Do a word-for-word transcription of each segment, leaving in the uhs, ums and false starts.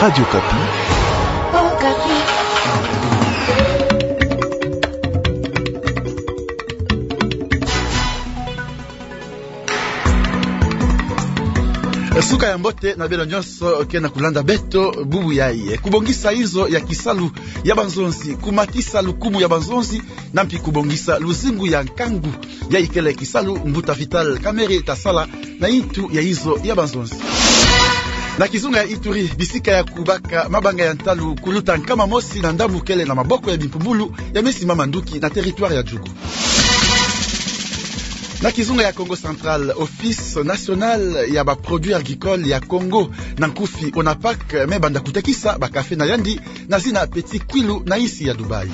Radio Okapi. Suka ya mbote na beno nyonso ke na kulanda beto bubu yayi. Kubongisa inzo ya kisalu ya banzonzi, kumatisa lukumu ya banzonzi, na mpi kubongisa luzingu ya nkangu, yayi kele kisalu mbuta Vital Kamerhe ta sala na yintu ya inzo ya banzonzi. Na kizunga ya Ituri, bisika ya kubaka mabanga ya ntalu kuluta nkama mosi na ndambu kele na maboko ya bimpumbulu ya mesi mama nduki na territoire ya Djugu. Na kizunga ya Kongo Central, Office National ya ba Produits Agricoles ya Kongo, na nkufi ONAPAK, me banda kutekisa ba café na yandi na zina Petit Kwilu na insi ya Dubaï.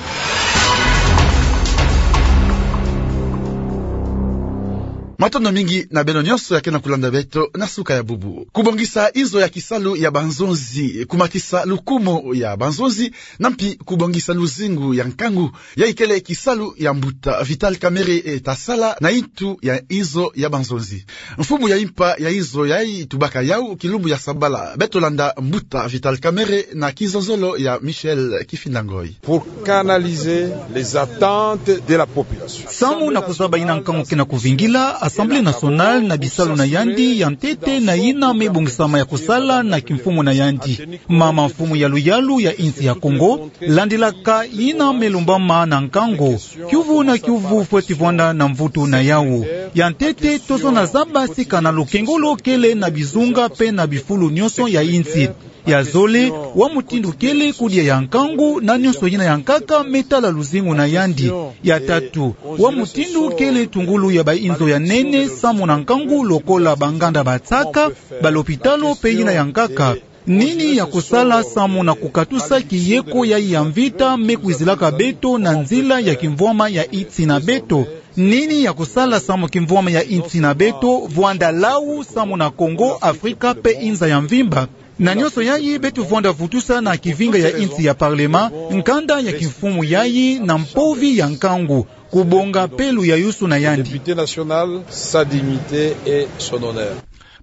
Matondo mingi na beno nyonso ya ke na kulanda beto na suka ya bubu. Kubongisa inzo ya kisalu ya banzonzi, kumatisa lukumu ya banzonzi, na mpi kubongisa luzingu ya nkangu, yayi kele kisalu ya mbuta Vital Kamerhe, eh, ta sala na yintu ya inzo ya banzonzi. Mfumu ya impa ya inzo yayi tubaka yawu kilumbu ya sabala. Beto landa mbuta Vital Kamerhe na kizozolo ya Michel Kifinda Ngoy. Pour canaliser les attentes de la population. Samu na kuzaba yina nkangu ke na kuvingila, Assemblée nationale na bisalu na yandi ya ntete na yina me bongisama ya kusala na kimfumu na yandi. Mama mfumu ya luyalu ya insi ya Kongo, landilaka yina me lumbama na nkangu, kiuvu na kiuvu fweti vwanda na mvutu na yawu. Ya ntete, tozona zaba sika na lukengolo kele na bizunga pe na bifulu nyonso ya insi. Ya zole, wa mutindu kele kudia ya nkangu na nyonso yina ya nkaka me tala luzingu na yandi. Ya tatu, wa mutindu kele tungulu ya ba inzo ya nene samu na nkangu lokola ba nganda ba nsaka, ba lopitalo pe yina ya nkaka. Nini ya kusala samu na kukatusa kiyeko yayi ya mvita me kwizilaka beto na nzila ya kimvwama ya insi na beto? Nini ya kusala samu kimvwama ya insi na beto vwanda lau samu na Kongo, Afrika pe inza ya mvimba? Na nyonso yayi beto vwanda vutusa na kivinga ya insi ya Parlement, nkanda ya kimfumu yayi na mpovi ya nkangu, kubonga pe luyayusu na yandi. Député national, sa dignité et son honneur.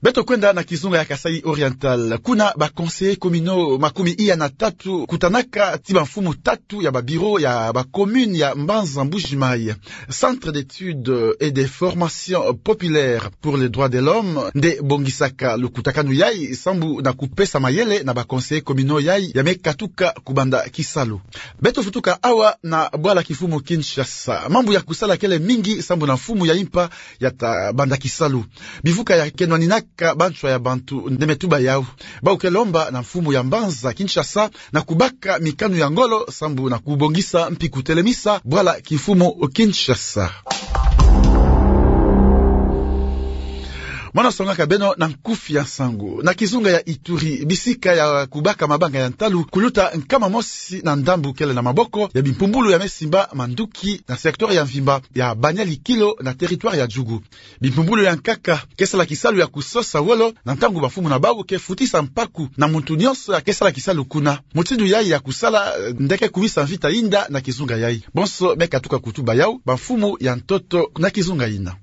Beto kwenda na kizunga ya Kasaï Oriental. Kuna ba conseillers communaux makumi iya na tatu kutanaka ti ba mfumu tatu ya ba bureaux ya ba communes ya Mbanza Mbuji-Mayi. Centre d'études et de formation populaire pour les droits de l'homme nde bongisaka lukutakanu yayi sambu na kupesa mayele na ba conseillers communaux yayi ya me katuka kubanda kisalu. Beto vutuka awa na bwala kimfumu Kinshasa. Mambu ya kusala kele mingi sambu na mfumu ya impa ya ta banda kisalu. Bivuka ya kenwaninaka banswa ya bantu nde me tuba yawu. Bawu ke lomba na mfumu ya mbanza Kinshasa na kubaka mikanu ya ngolo sambu na kubongisa mpi kutelemisa bwala kimfumu Kinshasa. Mwana songaka beno na nkufi ya nsangu. Na kizunga ya Ituri, bisika ya kubaka mabanga ya ntalu kuluta nkama mosi na ndambu kele na maboko ya bimpumbulu ya me simba manduki na secteur ya mvimba ya Banyali Kilo na territoire ya Djugu. Bimpumbulu ya nkaka ke sala kisalu ya kusosa wolo na ntangu bamfumu na bawu ke futisa mpaku na muntu nyonso ya ke sala kisalu kuna. Mutindu yayi ya kusala, eh, nde ke kumisa mvita yinda na kizunga yayi. Bonso me katuka kutuba yawu bamfumu ya ntoto na kizunga yina.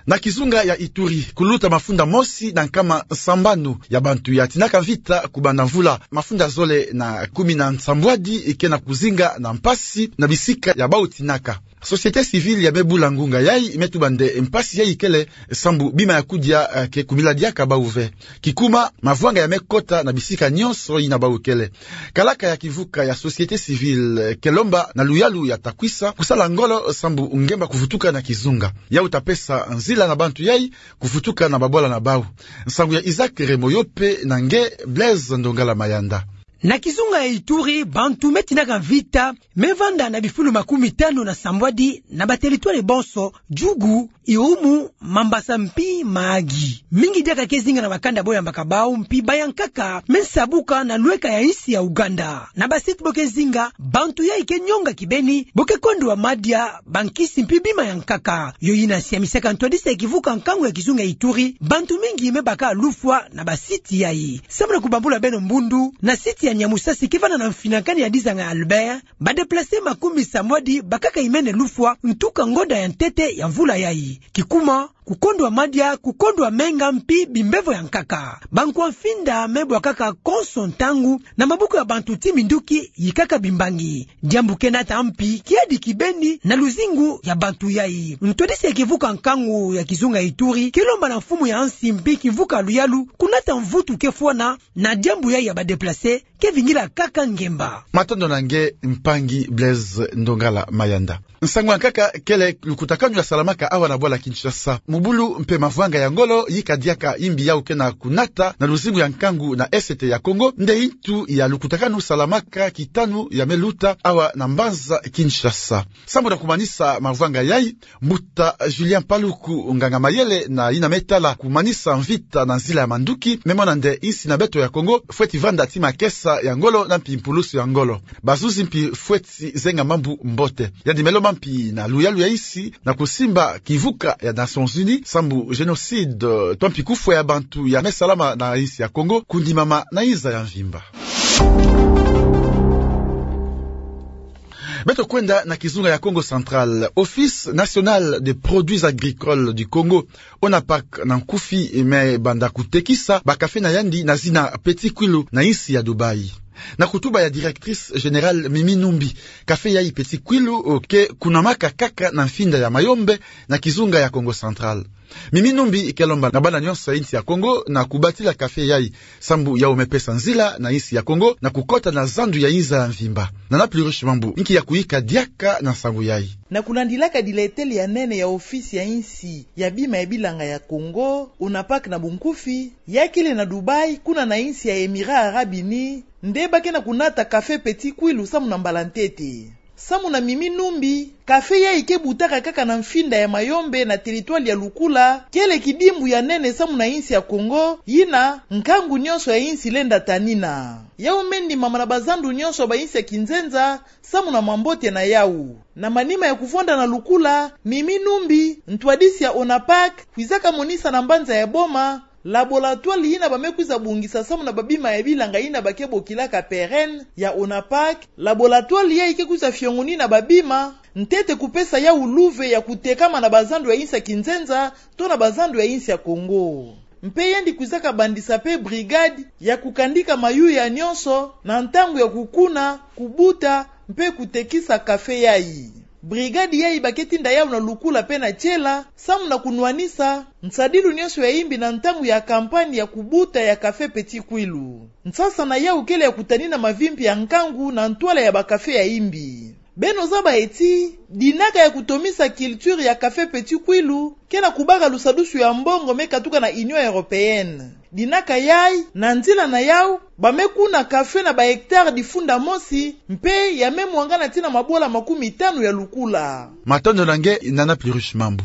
Na kizunga ya Ituri, kuluta mafunda mosi na nkama sambanu ya bantu ya tinaka mvita kubanda mvula mafunda zole na kumi na nsambwadi ke na kuzinga na mpasi na bisika ya bawu tinaka. Société civile ya me bula ngunga yayi me tuba nde mpasi yayi kele sambu bima ya kudia, eh, ke kumiladiaka bawu ve. Kikuma, mavwanga ya me kota na bisika nyonso yina bawu kele. Kalaka ya kivuka ya société civile, eh, ke lomba na luyalu ya ta kwisa kusala ngolo sambu ngemba kuvutuka na kizunga. Yawu ta pesa nzila na bantu yayi kuvutuka na babwala na bawu. Nsangu ya Isaac Remoyo pe na nge Blaise Ndongala Mayanda. Na kizunga ya Ituri, bantu me tinaka mvita me vanda na bifulu makumi tanu na sambwadi na ba territoire bonso, Djugu, Irumu, Mambasa mpi Mahagi. Mingi diaka ke zinga na bakanda bo yambaka bawu mpi ba ya nkaka me nsabuka na lweka ya insi ya Ouganda. Na ba site bo ke zinga, bantu yayi ke nyonga kibeni, bo ke kondwa madia, bankisi mpi bima ya nkaka. Yo yina siamisaka ntwadisi ya kivuka nkangu ya kizunga ya Ituri, bantu mingi me baka lufwa na ba site yayi. Samu na kubambula beno mbundu, na site Kati ya Nyamusasi ke vanda na mfinakani ya dizanga ya Albert, ba déplacés makumbi samwadi bakaka imene lufwa ntuka ngonda ya ntete ya mvula yayi. Kikuma, kukondwa madia, kukondwa menga mpi bimbevo ya nkaka. Bankwa mfinda me bwakaka konso ntangu na mabuku ya bantu ti minduki yikaka bimbangi. Diambu ke nata mpi kiadi kibeni na luzingu ya bantu yayi. Ntwadisi ya kivuka nkangu ya kizunga Ituri ke lomba na mfumu ya nsi mpi kivuka luyalu kunata mvutu ke fwana na diambu yayi ya ba déplacés ke vingila kaka ngemba. Matondo na nge mpangi Blaise Ndongala Mayanda. Nsangu ya nkaka kele lukutakanu ya salamaka awa na bwala Kinshasa. Mubulu mpe mavwanga ya ngolo yika diaka imbi yau ke na kunata na luzingu ya nkangu na Est ya Congo, nde ntu ya lukutakanu salamaka kitanu ya me luta awa na mbanza Kinshasa. Sambu na kumanisa mavwanga yayi, mbuta Julien Paluku, nganga mayele na yina me tala kumanisa mvita na nzila ya manduki, me mona nde insi na beto ya Congo fweti vanda ti makesa ya ngolo na mpi mpulusu ya ngolo. Bazuzi mpi fweti zenga mambu mbote. Yandi me lomba mpi na luyalu ya insi na kusimba kivuka ya Nations Unies sambu génocide, eh, to mpi kufwa ya bantu ya me salama na insi ya Congo kundimama na inza ya mvimba. Beto kwenda na kizunga ya Kongo Central. Office National des Produits Agricoles du Congo, ONAPAC na nkufi, me banda kutekisa ba café na yandi na zina Petit Kwilu na insi ya Dubaï. Na kutuba ya directrice générale Mimi Numbi, café yayi Petit Kwilu, eh, ke kunamaka kaka na mfinda ya Mayombe na kizunga ya Kongo Central. Mimi Numbi ke lomba na bana nyonso ya insi ya Congo na kubatila café yayi, sambu yau me pesa nzila na insi ya Congo na kukota na zandu ya inza ya mvimba. Nana Pluriche Mambu, nki ya kuyika diaka na nsangu yayi. Na kulandilaka diletele ya nene ya ofisi ya insi ya bima ya bilanga ya Congo, ONAPAC na bunkufi, ya kele na Dubaï, kuna na insi ya Émirats Arabes Unis, nde ba ke na kunata café Petit Kwilu samu na mbala ntete. Samu na Mimi Numbi, café yayi ke butaka kaka na mfinda ya Mayombe na territoire ya Lukula, kele kidimbu ya nene samu na insi ya Congo, yina nkangu nyonso ya insi lenda tanina. Yau me ndimama na bazandu nyonso ba insi ya kinzenza samu na mambote na yau. Na manima ya kuvwanda na Lukula, Mimi Numbi, ntwadisi ya ONAPAC, kwizaka monisa na mbanza ya Boma laboratoire yina ba me kwiza bongisa samu na babima ya bilanga yina ba ke bokilaka PERENE ya ONAPAC. Laboratoire yayi ke kwiza fiongonina babima ntete kupesa yau luve ya kutekama na bazandu ya insi ya kinzenza to na bazandu ya insi ya Congo. Mpe yandi kwizaka bandisa mpe brigade ya kukandika mayuya nyonso na ntangu ya kukuna, kubuta mpe kutekisa café yayi. Brigade yayi ba ke tinda yau na Lukula mpe na Tiela samu na kunwanisa nsadilu nyonso ya imbi na ntangu ya campagne ya kubuta ya café Petit Kwilu. Nsasa na yau kele ya kutanina mavimpi ya nkangu na ntwala ya ba café ya imbi. Beno zaba ti dinaka ya kutomisa culture ya café Petit Kwilu ke na kubaka lusadusu ya mbongo me katuka na Union Européenne. Dinaka yayi, na nzila na yau, ba me kuna café na ba hectare difunda mosi, mpe ya me mwangana tii na mabwala makumitanu ya Lukula. Matondo na nge, Nana Pluriche Mambu.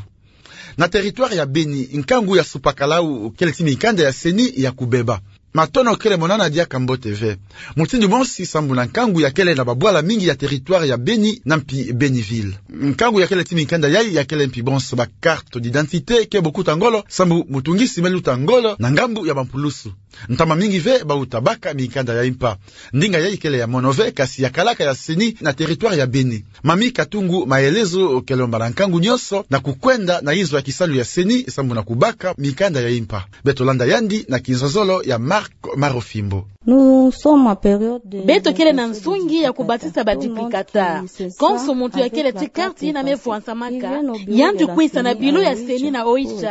Na territoire ya Beni, nkangu ya supakalau kele ti mikanda ya CENI ya kubeba. Matono kele mo nana diaka mbote ve. Mutindu mosi sambu na nkangu ya kele na babwala mingi ya territoire ya Beni na mpi Beni-Ville. Nkangu ya kele ti mikanda yayi ya kele mpi bonso ba carte d'identité ke bokuta ngolo sambu mutungisi me luta ngolo na ngambu ya bampulusu. Ntama mingi ve bawuta baka mikanda ya impa. Ndinga yayi kele ya mono ve, kasi ya kalaka ya CENI na territoire ya Beni. Mamie Katungu, maelezo ke lomba na nkangu nyonso na kukwenda na inzo ya kisalu ya CENI sambu na kubaka mikanda ya impa. Beto landa yandi na kinzonzolo ya Marc Marofimbo. Nous sommes en période de... Beto kele na nsungi ya kubatisa ba duplicata. Konso muntu ya kele ti carte yina me vwansamaka, yandi kwisa na bureau ya CENI na OICH,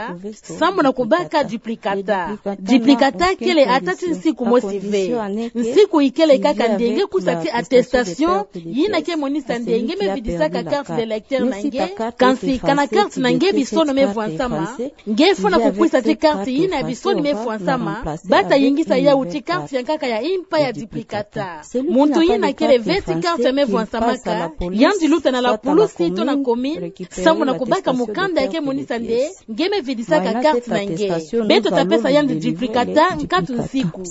sambu na kubaka duplicata. Duplicata kele ata ti nsiku mosi ve. Nsiku ikele kaka nde nge kusa ti attestation yina ke monisa nde nge me vidisaka carte d'électeur na nge, kansi kana carte na nge bisono me vwansama, nge fwana kukwisa ti carte yina ya bisono me vwansama, bata yingisa yau ti carte ya nkaka ya impa ya duplicata. Muntu yina kele ve ti carte ya me vwansamaka, yandi luta na la pulusi to na commune, sambu na kubaka mukanda ya ke monisa nde nge me vidisaka carte na nge. Beto ta pesa yandi duplicata nkatu nsiku.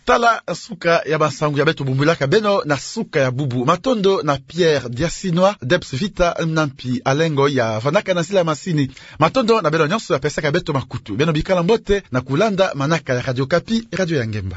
Tala suka ya bansangu ya beto bumbilaka beno na suka ya bubu. Matondo na Pierre Diasinois, Debs Vita, na mpi Alengo ya vandaka na nzila ya masini. Matondo na beno nyonso ya pesaka beto makutu. Beno bikala mbote na kulanda manaka ya Radio Okapi, radio ya ngemba.